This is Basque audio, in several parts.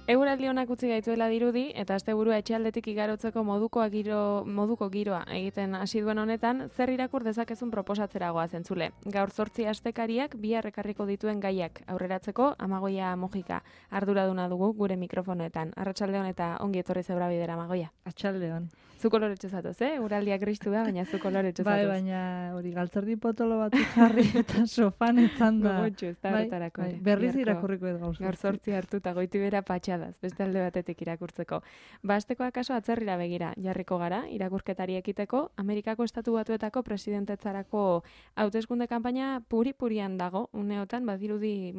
Eguraldi honak utzi gaituela dirudi, eta asteburua etxealdetik igarotzeko moduko giroa egiten hasi duen honetan, zer irakur dezakezun proposatzera goaz entzule. Gaur 8 astekariak bihar ekarriko dituen gaiak aurreratzeko Amagoia Mujika arduraduna dugu gure mikrofonoetan. Arratsaldeon eta ongi etorri Zebra Bidera, Amagoia. Atxaldeon. Zu koloretxo zatoz, Uraldiak gristu da, baina zu koloretxo zatoz. Bai, baina hori galtzerdi potolo bat jarri eta sofan etzan da. Gogotxo, ez da horretarako. Bai, berriz irakurriko ez gauz. Gaur 8 hartu eta goiti bera patxadaz, beste alde batetik irakurtzeko. Basteko akaso atzerrira begira jarriko gara, irakurketari ekiteko, Amerikako Estatu Batuetako presidentetzarako hauteskunde kanpaina puri-purian dago, uneotan, badirudi,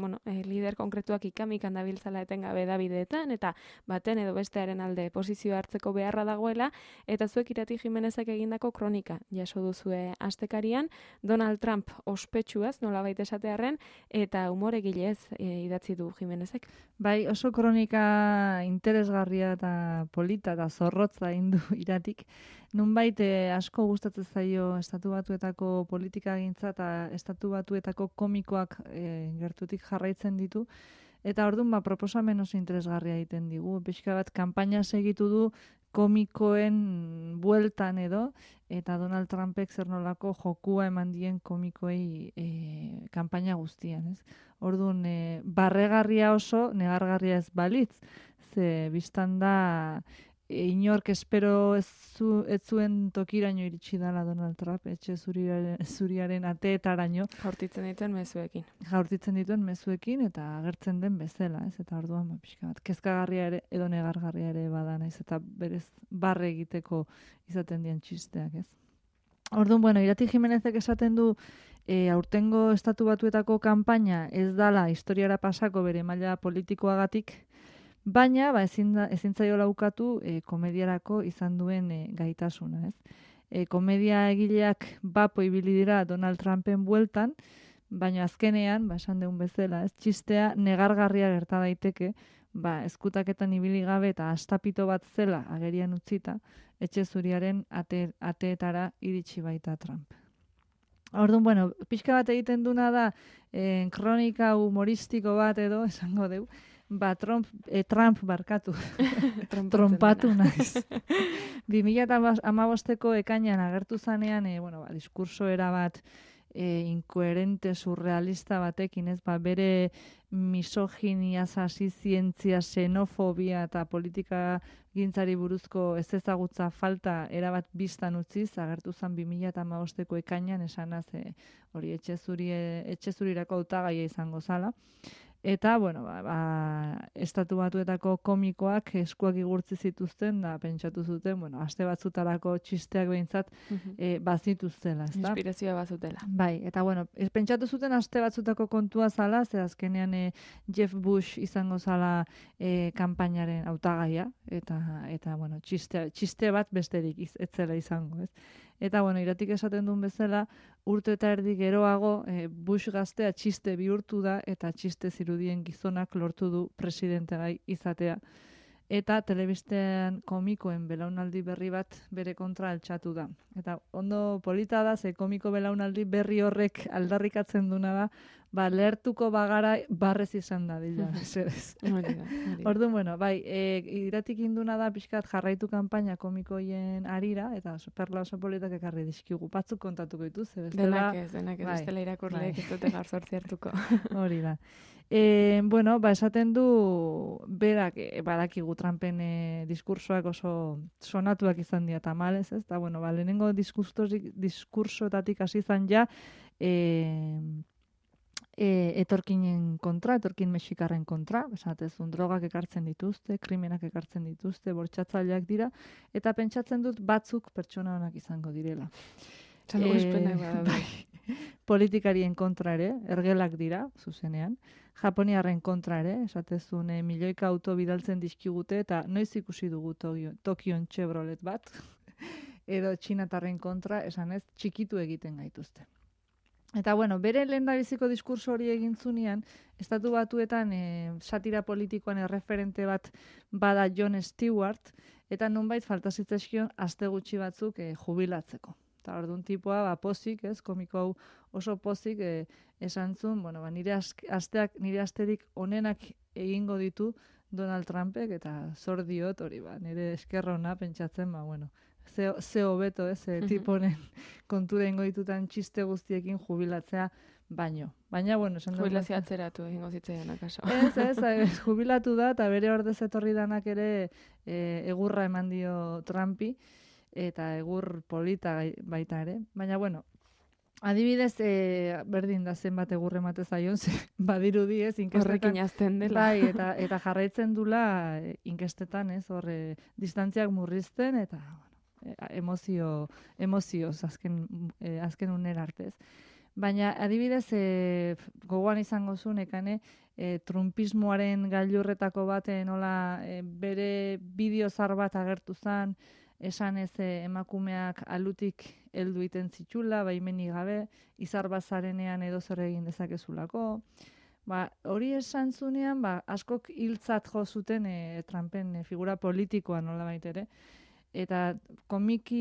lider konkretuak ikamikan dabiltzala etengabe Davideetan, eta baten edo bestearen alde posizio hartzeko beharra dagoela, eta zuek Irati Jimenezek egindako kronika jaso duzue astekarian, Donald Trump ospetsuaz, nolabait esatearren, eta umoregilez idatzi du Jimenezek. Bai, oso kronika interesgarria eta polita eta zorrotza indu Iratik. Nunbait asko gustatzen zaio Estatu Batuetako politikagintza eta Estatu Batuetako komikoak gertutik jarraitzen ditu. Eta orduan proposamen oso interesgarria egiten digu. Pixka bat kanpaina segitu du komikoen bueltan edo, eta Donald Trumpek zer nolako jokua eman dien komikoei kanpaina guztian, ez? Orduan, barregarria oso, negargarria ez balitz, ze biztan da inork espero ez zuen tokiraino iritsi dela Donald Trump, etxe zuriaren ateetaraino. Jaurtitzen dituen mezuekin eta agertzen den bezala, ez? Eta orduan pixka bat kezkagarria ere edo negargarria ere bada naiz eta berez barre egiteko izaten dien txisteak, ez? Orduan, Irati Jimenezek esaten du aurtengo Estatu Batuetako kanpaina ez dala historiara pasako bere maila politikoagatik, baina ezin zaiola ukatu komediarako izan duen gaitasuna, ez? Komedia egileak bapo ibili dira Donald Trumpen bueltan, baina azkenean, esan deun bezala, ez? Txistea negargarria gerta daiteke, ezkutaketan ibili gabe eta astapito bat zela agerian utzita, etxe zuriaren ateetara iritsi baita Trump. Orduan, pixka bat egiten duna da, kronika humoristiko bat edo, esango deu, Trump barkatu. Trompatu naiz. 2015ko ekainan agertu zanean, diskurso erabat inkoherente, surrealista batekin, ez? Bere misoginia, zientzia, xenofobia eta politika gintzari buruzko ez ezagutza falta erabat biztan utziz, agertu zen 2015ko ekainan esanaz hori etxe zurirako hautagaia izango zala. Eta, Estatu Batuetako komikoak eskuak igurtzi zituzten, da pentsatu zuten, aste batzutarako txisteak behintzat bazituztela, ez da? Inspirazioa bazutela. Bai, eta, pentsatu zuten aste batzutako kontua zala, ze azkenean Jeff Bush izango zala kanpainaren hautagaia, eta txiste bat besterik ez zela izango, ez? Eta, Iratik esaten duen bezala, urte eta erdi geroago, Bush gaztea txiste bihurtu da, eta txiste zirudien gizonak lortu du presidentegai izatea. Eta telebistean komikoen belaunaldi berri bat bere kontra altxatu da. Eta ondo polita da, ze komiko belaunaldi berri horrek aldarrikatzen duna da, lehertuko bagara barrez izan da dila. Orduan, Iratik induna da pixkat jarraitu kanpaina komikoien arira, eta perla oso politak ekarri dizkigu. Batzuk kontatuko dituz, Denak ez, bestela irakurleek ez dute gaur 8 hartuko. Hori da. Esaten du berak badakigu Trumpen diskursoak oso sonatuak izan dira tamalez, ez? Eta, lehenengo diskursoetatik hasi izan ja etorkinen kontra, etorkin mexikarren kontra, esatezun drogak ekartzen dituzte, krimenak ekartzen dituzte, bortxatzaileak dira, eta pentsatzen dut batzuk pertsona onak izango direla. Politikarien kontra ere, ergelak dira, zuzenean, japoniarren kontra ere, esatezun milioika auto bidaltzen dizkigute, eta noiz ikusi dugu Tokion Chevrolet bat, edo txinatarren kontra, esan ez, txikitu egiten gaituzte. Eta, bere lehendabiziko diskurso hori egin zunean, Estatu Batuetan satira politikoan erreferente bat bada Jon Stewart, eta nonbait falta zitzaizkion aste gutxi batzuk jubilatzeko. Eta orduan tipoa, pozik, ez, komiko hau oso pozik, esan zuen, nire asterik onenak egingo ditu Donald Trumpek, eta zor diot hori, nire eskerrona pentsatzen, bueno, ze hobeto, tiponen kontura ingoitutan txiste guztiekin jubilatzea baino. Baina, bueno, esan dugu. Jubilazio atzeratu egingo zitzaidan akaso. Ez, jubilatu da, eta bere ordez etorri danak ere egurra eman dio Trumpi, eta egur polita baita ere. Baina, bueno, adibidez, berdin da zenbat egur emate zaion, badirudi ez, inkestetan. Horrekin azten dela. Bai, eta jarraitzen dula inkestetan, ez, horre, distantziak murrizten, eta emozioz azken unera artez. Baina, adibidez, gogoan izango zuen, ekane, trumpismoaren gailurretako baten, nola, bere bideozar bat agertu zen, esan ez emakumeak alutik heldu iten zitxula, baimenik gabe, izar bazarenean edo zer egin dezakezulako. Hori esan zunean, askok hiltzat jo zuten Trumpen figura politikoa nola baitere. Eta komiko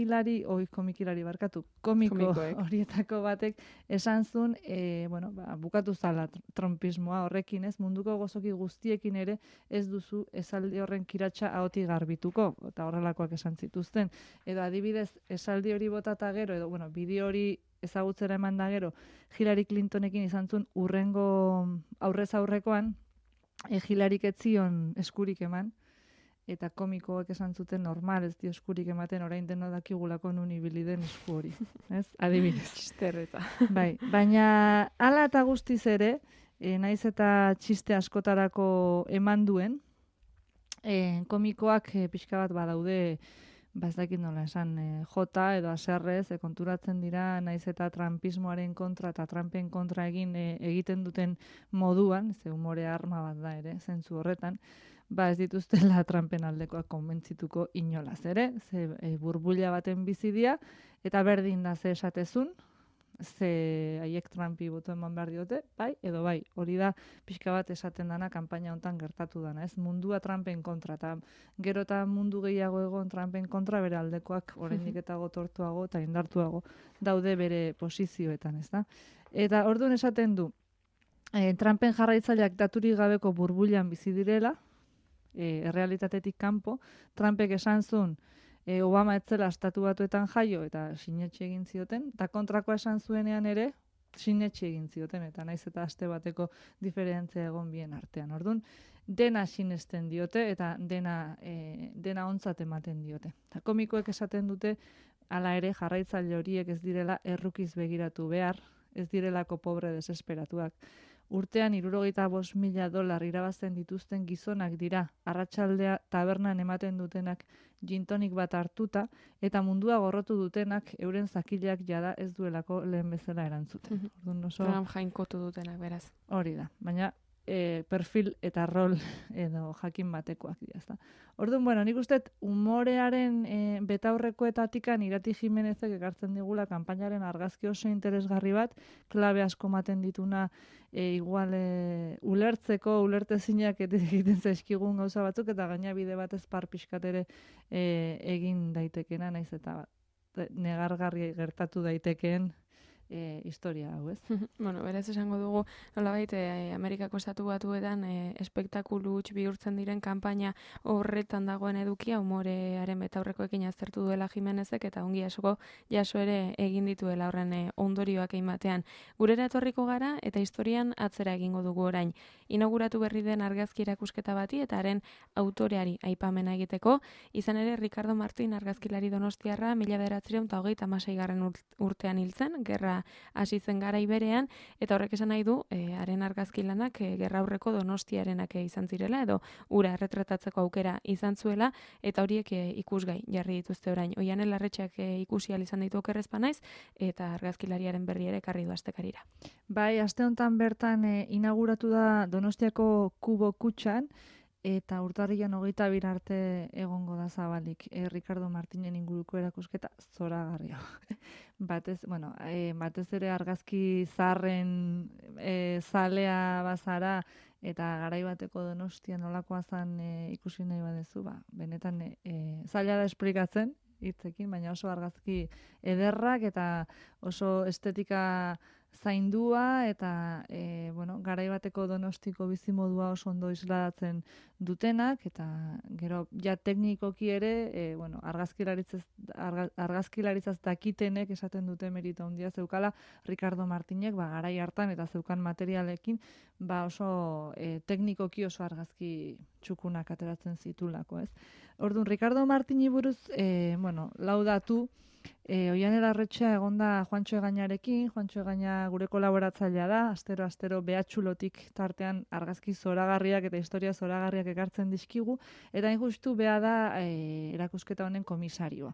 horietako batek esan zuen, bukatu zala trumpismoa horrekin ez, munduko gozoki guztiekin ere ez duzu esaldi horren kiratsa ahotik garbituko, eta horrelakoak esan zituzten. Edo adibidez, esaldi hori botata gero, edo bideo hori ezagutzera eman da gero, Hillary Clintonekin izan zuen urrengo aurrez aurrekoan, Hillaryk ez zion eskurik eman, eta komikoak esan zuten normal ez dio eskurik ematen orain deno dakigulako nun ibili den esku hori, ez? Adibidez. Txisterreta. Bai, baina hala eta guztiz ere, naiz eta txiste askotarako eman duen, komikoak pixka bat badaude, ez dakit nola esan, jota edo aserrez, konturatzen dira, naiz eta trumpismoaren kontra eta Trumpen kontra egiten duten moduan, ze humore arma bat da ere, zentzu horretan, ez dituztela Trumpen aldekoak konbentzituko inolaz ere, ze burbuila baten bizidia, eta berdin da ze esatezun, ze haiek Trumpi boto eman behar diote, bai edo bai, hori da pixka bat esaten dana kanpaina hontan gertatu dana, ez mundua Trumpen kontra, eta gero eta mundu gehiago egon Trumpen kontra bere aldekoak oraindik eta gotortuago eta indartuago daude bere posizioetan, ez da? Eta orduan esaten du, Trumpen jarraitzaileak daturik gabeko burbuilan bizi direla, errealitatetik kanpo, Trumpek esan zuen Obama etzela estatu batuetan jaio eta sinetxe egin zioten, eta kontrakoa esan zuenean ere sinetxe egin zioten, eta naiz eta aste bateko diferentzia egon bien artean. Orduan, dena sinesten diote eta dena ontzat ematen diote. Eta komikoek esaten dute, hala ere jarraitzaile horiek ez direla errukiz begiratu behar, ez direlako pobre desesperatuak. Urtean $65,000 irabazten dituzten gizonak dira, arratsaldea tabernan ematen dutenak gintonik bat hartuta, eta mundua gorrotu dutenak euren zakileak jada ez duelako lehen bezala erantzuten. Trump jainkotu dutenak, beraz. Hori da, baina perfil eta rol edo jakin batekoak dira, ezta. Orduan, nik uste umorearen betaurrekoetatikan Irati Jimenezek ekartzen digula kanpainaren argazki oso interesgarri bat, klabe asko ematen dituna igual ulertezinak egiten zaizkigun gauza batzuk, eta gaina bide batez pixkat ere egin daitekena, naiz eta negargarri gertatu daitekeen historia hau, ez? Beraz esango dugu, nolabait, Amerikako estatu batuetan espektakulu huts bihurtzen diren kanpaina horretan dagoen edukia, umorearen betaurrekoekin aztertu duela Jimenezek, eta ongi asko jaso ere egin dituela horren ondorioak egin Gurera etorriko gara, eta historian atzera egingo dugu orain. Inauguratu berri den argazki erakusketa bati, eta haren autoreari aipamena egiteko, izan ere Ricardo Martín argazkilari donostiarra 1936 urtean hiltzen, gerra hasi zen garai berean, eta horrek esan nahi du, haren argazkilanak gerra aurreko Donostiarenak izan zirela, edo ura erretratatzeko aukera izan zuela, eta horiek ikusgai jarri dituzte orain. Oianen Larretxeak ikusi ahal izan ditu okerrezpa naiz, eta argazkilariaren berri ere ekarri du astekarira. Bai, aste honetan bertan inauguratu da Donostiako Kubo kutxan, eta urtarrilan 22 arte egongo da zabalik. Ricardo Martinen inguruko erakusketa zoragarria. Batez ere argazki zaharren zalea bazara, eta garai bateko Donostia nolakoa zen ikusi nahi badezu, benetan zaila da esplikatzen hitzekin, baina oso argazki ederrak eta oso estetika zaindua eta garai bateko Donostiko bizimodua oso ondo isladatzen dutenak, eta gero ja teknikoki ere argazkilaritzaz dakitenek esaten dute merito handia zeukala Ricardo Martinek garai hartan eta zeukan materialekin oso teknikoki oso argazki txukunak ateratzen zitulako, ez? Orduan, Ricardo Martini buruz lau datu. Oiane Larretxea egonda Juantxo Egañarekin, Juantxo Egaña gure kolaboratzailea da, astero behatxulotik tartean argazki zoragarriak eta historia zoragarriak ekartzen dizkigu, eta hain justu bea da erakusketa honen komisarioa.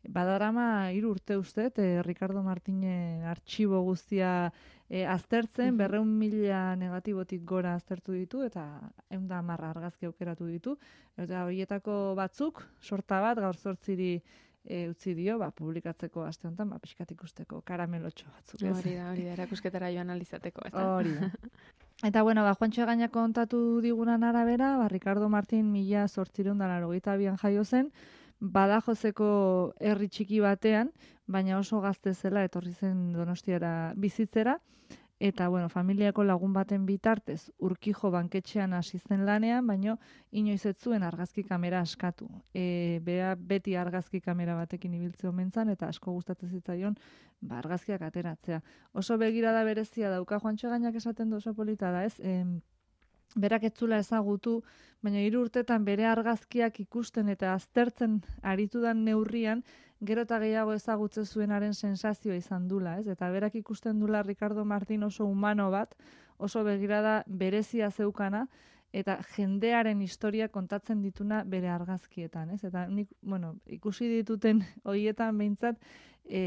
Badarama 3 urte uste, Ricardo Martinen artxibo guztia aztertzen, 200.000 negatibotik gora aztertu ditu, eta 110 argazki aukeratu ditu, eta horietako batzuk, sorta bat, gaur 8 utzi dio, publikatzeko aste honetan, pixkat ikusteko karamelotxo batzuk. Hori da, erakusketara joan alizateko. Hori da. Eta, Juantxo Egaña kontatu digunan arabera, Ricardo Martin 1882an jaio zen, Badajoseko herri txiki batean, baina oso gazte zela etorri zen Donostiara bizitzera, eta, familiako lagun baten bitartez Urkijo banketxean hasi zen lanean, baina inoiz ez zuen argazki kamera askatu. Bea beti argazki kamera batekin ibiltze omen zan, eta asko gustatzen zitzaion argazkiak ateratzea. Oso begirada berezia dauka Juantxo Egañak esaten du, oso polita da, ez? Berak ez zula ezagutu, baina 3 urtetan bere argazkiak ikusten eta aztertzen aritudan neurrian, gero eta gehiago ezagutze zuenaren sensazioa izan dula, ez? Eta berak ikusten dula Ricardo Martin oso humano bat, oso begirada berezia zeukana, eta jendearen historia kontatzen dituna bere argazkietan, ez? Eta nik, ikusi dituten horietan behintzat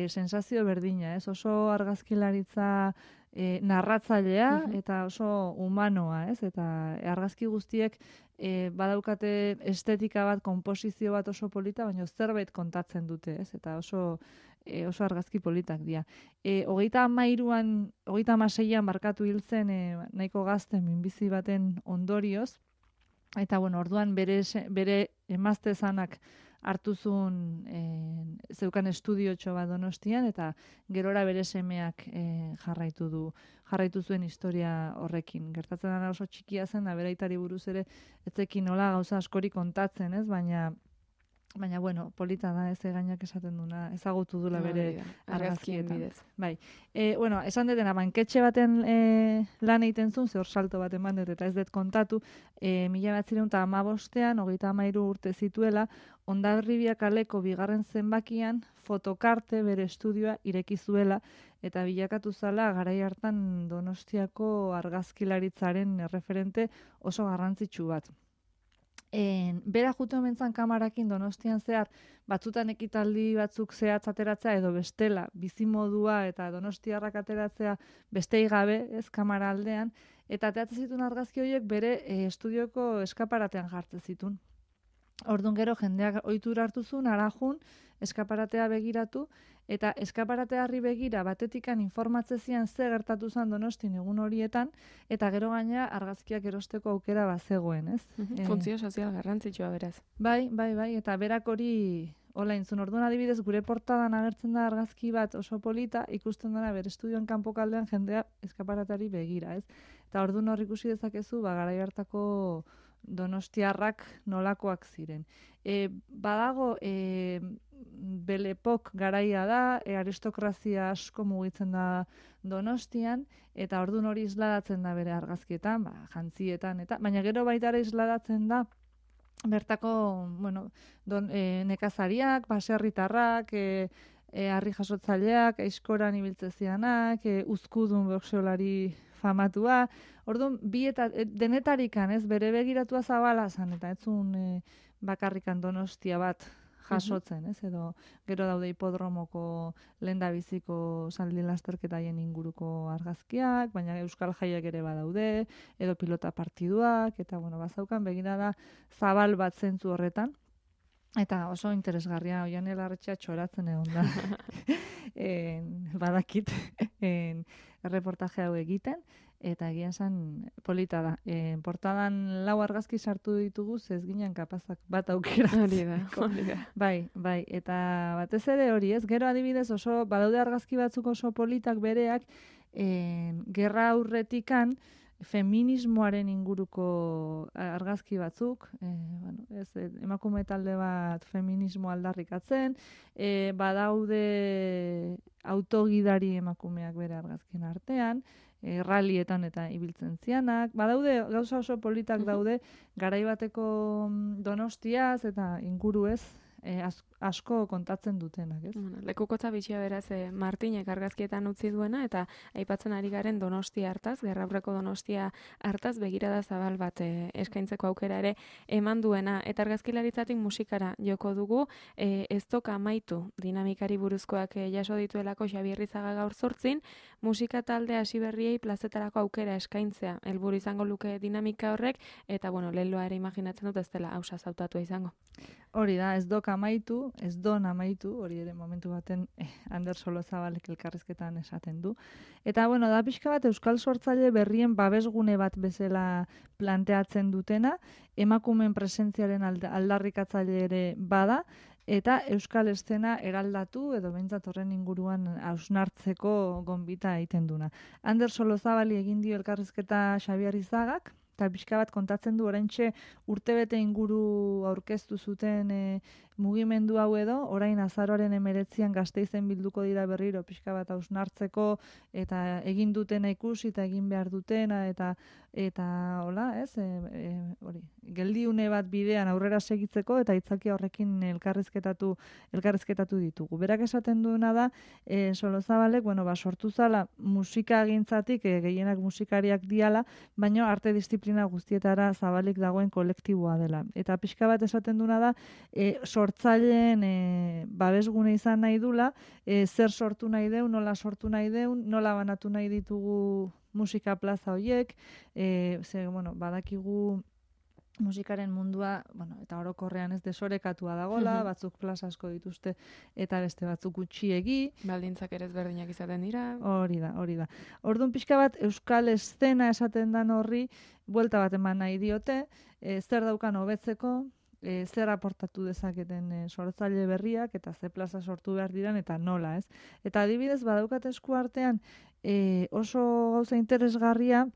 sensazio berdina, ez? Oso argazkilaritza narratzailea eta oso humanoa, ez? Eta argazki guztiek badaukate estetika bat, konposizio bat oso polita, baina zerbait kontatzen dute, ez? Eta oso argazki politak dira. 36an barkatu hil zen nahiko gazte minbizi baten ondorioz, eta orduan bere emazte zanak hartu zuen zeukan estudiotxo bat Donostian, eta gerora bere semeak jarraitu zuen historia horrekin. Gertatzen dena oso txikia zen, da beraitari buruz ere etzekin nola gauza askori kontatzen, ez? Baina polita da, ez Egañak esaten duna, ezagutu dula bere argazkien bidez. Bai. Esan detena, banketxe baten lan egiten zuen, ze hor salto bat eman dut, eta ez dut kontatu, 1915an, 33 urte zituela, Hondarribia kaleko 2. zenbakian fotokarte bere estudioa ireki zuela, eta bilakatu zala garai hartan Donostiako argazkilaritzaren referente oso garrantzitsu bat. Bera jute omentzan kamarakin Donostian zehar, batzutan ekitaldi batzuk zehatz ateratzea edo bestela, bizimodua eta donostiarrak ateratzea bestei gabe, ez kamara aldean, eta ateratzen zituen argazki horiek bere estudioko eskaparatean jartzen zituen. Orduan gero jendeak ohitura hartu zuen, arajun, eskaparatea begiratu, eta eskaparateari begira batetikan informatzezian ze gertatu zen Donostin egun horietan, eta gero gaina argazkiak erosteko aukera bazegoen, ez? Funtzio sozial garrantzitsua beraz. Bai, eta berak hori hola intzun. Orduan adibidez gure portadan agertzen da argazki bat oso polita, ikusten dena bere estudioan kanpokaldean jendea eskaparateari begira, ez? Eta orduan hor ikusi dezakezu, garai hartako donostiarrak nolakoak ziren. Badago, Belepok garaia da, aristokrazia asko mugitzen da Donostian, eta orduan hori isladatzen da bere argazkietan, jantzietan, eta baina gero baita ere isladatzen da bertako, nekazariak, baserritarrak, harri jasotzaileak, aizkoran ibiltzezianak, uzkudun boxeolari famatua. Orduan, denetarikan, ez, bere begiratua zabala zan, eta ez zuen bakarrikan Donostia bat jasotzen, ez, edo gero daude hipodromoko lehendabiziko zaldi lasterketaien inguruko argazkiak, baina euskal jaiak ere badaude, edo pilota partiduak, eta bazaukan begirada zabal bat zentzu horretan. Eta oso interesgarria, Oiane Larretxea txoratzen egon da. Badakit reportaje hau egiten, eta egia esan polita da. Portadan 4 argazki sartu ditugu, ez ginen kapazak bat aukeratzeko. Hori da. Bai, eta batez ere hori ez, gero adibidez oso, badaude argazki batzuk oso politak bereak, gerra aurretikan feminismoaren inguruko argazki batzuk, emakume talde bat feminismo aldarrikatzen, badaude autogidari emakumeak bere argazkien artean, rallietan eta ibiltzen zianak, badaude gauza oso politak daude garaibateko Donostiaz eta inguruez asko kontatzen dutenak, ez? Bueno, lekukotza bitxia beraz Martinek argazkietan utzi duena eta aipatzen ari garen Donostia hartaz, gerraurreko Donostia hartaz begirada zabal bat eskaintzeko aukera ere eman duena eta argazkilaritzatik musikara joko dugu, ez doka amaitu dinamikari buruzkoak jaso dituelako Xabier Rizaga gaur 8, musika talde hasi berriei plazetarako aukera eskaintzea helburu izango luke dinamika horrek eta bueno, leloa ere imaginatzen dut ez dela ausaz hautatua izango. Hori da, ez dok amaitu, ez don amaitu, hori ere momentu baten Ander Solozabalek elkarrizketan esaten du. Eta bueno, da pixka bat euskal sortzaile berrien babesgune bat bezala planteatzen dutena, emakumeen presentziaren aldarrikatzaile ere bada, eta euskal eszena eraldatu edo behintzat horren inguruan hausnartzeko gonbita egiten duna. Ander Solozabali egin dio elkarrizketa Xabier Izagak, eta pixka bat kontatzen du oraintxe urtebete inguru aurkeztu zuten mugimendu hau edo, orain azaroaren 19an Gasteizen bilduko dira berriro pixka bat hausnartzeko eta egin dutena ikusi eta egin behar dutena eta hola, ez? Hori, geldiune bat bidean aurrera segitzeko eta itzaki horrekin elkarrizketatu ditugu. Berak esaten duena da, Solozabalek, sortu zala musikagintzatik, gehienak musikariak diala, baina arte disiplina guztietara zabalik dagoen kolektiboa dela. Eta pixka bat esaten duena da, sortzaileen babesgune izan nahi dula, zer sortu nahi deun, nola sortu nahi deun, nola banatu nahi ditugu musika plaza horiek, badakigu musikaren mundua, eta orokorrean ez desorekatua dagola, batzuk plaza asko dituzte eta beste batzuk gutxiegi. Baldintzak ere ezberdinak izaten dira. Hori da. Orduan pixka bat euskal eszena esaten dan horri, buelta bat eman nahi diote, zer daukan hobetzeko, zer aportatu dezaketen sortzaile berriak eta ze plaza sortu behar diran eta nola, ez? Eta adibidez badaukat esku artean oso gauza interesgarria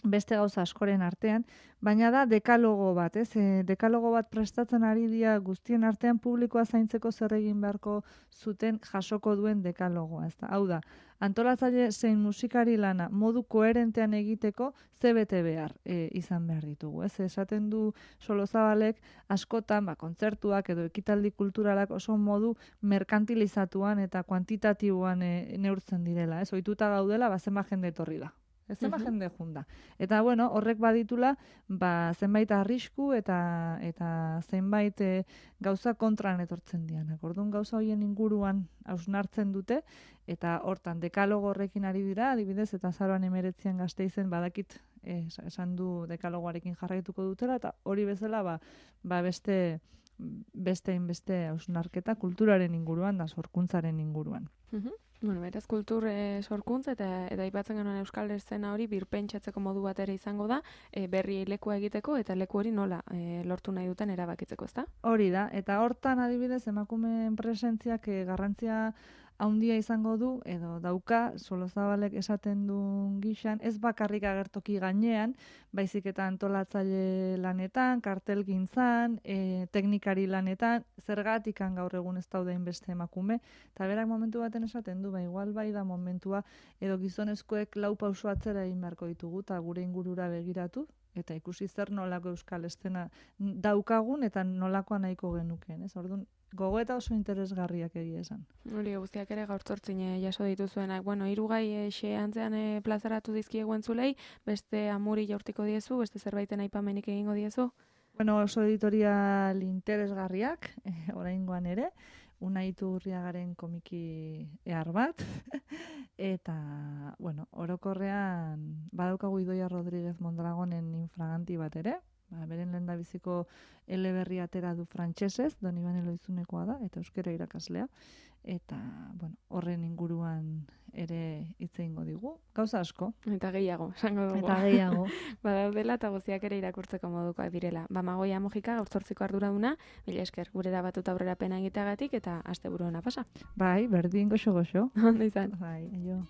beste gauza askoren artean, baina da dekalogo bat, ez? Dekalogo bat prestatzen ari dira guztien artean publikoa zaintzeko zer egin beharko zuten jasoko duen dekalogoa, ez da? Hau da, antolatzaile zein musikari lana modu koherentean egiteko ze bete behar izan behar ditugu, ez? Esaten du Solozabalek askotan, kontzertuak edo ekitaldi kulturalak oso modu merkantilizatuan eta kuantitatiboan neurtzen direla, ez? Ohituta gaudela, zenbat jende etorri da. Zenbat jende junda. Eta horrek baditula, zenbait arrisku eta zenbait gauza kontran etortzen dianak. Orduan gauza horien inguruan hausnartzen dute, eta hortan dekalogo horrekin ari dira, adibidez, eta azaroan 19an Gasteizen badakit esan du dekalogoarekin jarraituko dutela, eta hori bezala beste hausnarketa kulturaren inguruan da sorkuntzaren inguruan. Beraz, kultur sorkuntza eta aipatzen genuen euskal eszena hori birpentsatzeko modu bat ere izango da, berriei lekua egiteko eta leku hori nola lortu nahi duten erabakitzeko, ezta? Hori da, eta hortan adibidez emakumeen presentziak garrantzia handia izango du, edo dauka, Solozabalek esaten duen gixan, ez bakarrik agertoki gainean, baizik eta antolatzaile lanetan, kartelgintzan, teknikari lanetan, zergatikan gaur egun ez daudein beste emakume, eta berak momentu baten esaten du, igual bai da momentua, edo gizonezkoek lau pauso atzera egin beharko ditugu, eta gure ingurura begiratu, eta ikusi zer nolako euskal eszena daukagun, eta nolakoa nahiko genukeen, ez? Orduan, gogoeta oso interesgarriak egia esan. Hori, guztiak ere gaur 8 jaso dituzuenak. Hiru gai antzean plazaratu dizkiegu entzulei, beste amuri jaurtiko diezu, beste zerbaiten aipamenik egingo diezu? Oso editorial interesgarriak, oraingoan ere, Unai Iturriagaren komiki ehar bat, eta, orokorrean badaukagu Idoia Rodríguez Mondragonen Infraganti bat ere, beren lehendabiziko eleberri atera du frantsesez, Don Ibane Loizunekoa da, eta euskera irakaslea. eta, bueno, horren inguruan ere hitz egingo digu. Gauza asko. Eta gehiago, esango dugu. Eta gehiago. Badaudela eta guztiak ere irakurtzeko modukoak direla. Magoia Mojika gaur 8ko arduraduna, mila esker gurera batuta aurrera pena egiteagatik eta asteburu ona pasa. Bai, berdin goxo. Ondo izan. Bai, aio.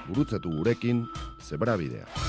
Gurutzatu gurekin Zebrabidea.